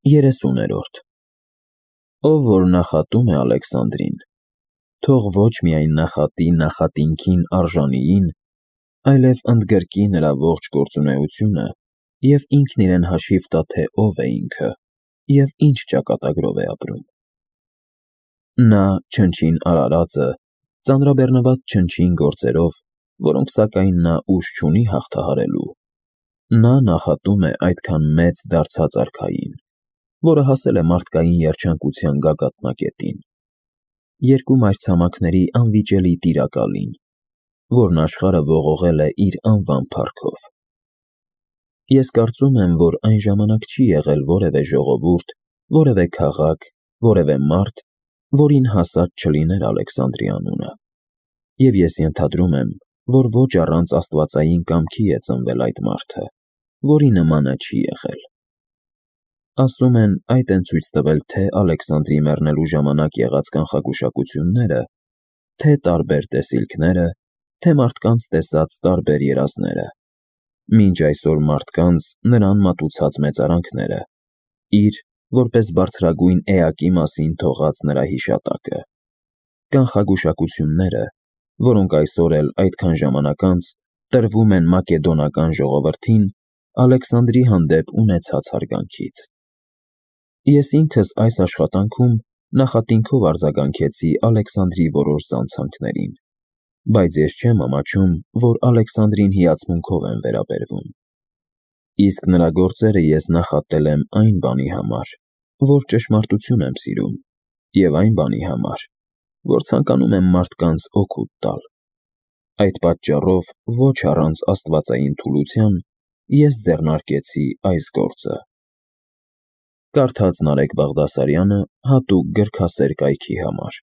30-րդ Ով որ նախատում է Ալեքսանդրին, թող ոչ միայն նախատի նախատինքին արժանիին, այլև ընդգրկի նրա ողջ գործունեությունը և ինքն իրեն հաշիվ տա, թե ով է ինքը և ինչ ճակատագրով է ապրում։ Նա չնչին արարածը, ծանրաբեռնված չնչին գործերով, որոնք սակայն նա ուժ չունի հաղթահարելու, նա նախատում է այդքան մեծ դարձած արքային, որը հասել է մարդկային երջանկության գագաթնակետին, երկու մայրցամաքների անվիճելի տիրակալին, որն աշխարհը ողողել է իր անվան փառքով։ Ես կարծում եմ, որ այն ժամանակ չի եղել որևէ ժողովուրդ, որևէ քաղաք, որևէ մարդ, որին հասած չլիներ Ալեքսանդրի անունը, և ես ենթադրում եմ, որ ոչ առանց աստվածային կամքի է ծնվել այդ մարդը, որի նմանը չի եղել։ Ասում են, այդ են ցույց տվել թե Ալեքսանդրի մեռնելու ժամանակ եղած կանխագուշակությունները, թե տարբեր տեսիլքները, թե մարդկանց տեսած տարբեր երազները, մինչ այսօր մարդկանց նրան մատուցած մեծարանքները, իր, որպես բարձրագույն էակի մասին թողած նրա հիշատակը, կանխագուշակությունները, որոնք այսօր էլ այդքան ժամանակ անց տրվում են մակեդոնական ժողովրդին Ալեքսանդրի հանդեպ ունեցած հարգանքից։ Ես ինքս այս աշխատանքում նախատինքով արձագանքեցի Ալեքսանդրի որոշ զանցանքներին, բայց ես չեմ ամաչում, որ Ալեքսանդրին հիացմունքով եմ վերաբերվում։ Իսկ նրա գործերը ես նախատել եմ այն բանի համար, որ ճշմարտություն եմ սիրում, և այն բանի համար, որ ցանկանում եմ մարդկանց օգուտ տալ։ Այդ պատճառով ոչ առանց աստվածային թուլության ես ձեռնարկեցի այս գործը։ Կարդաց Նարեկ Բաղդասարյանը հատուկ գրքասեր կայքի համար։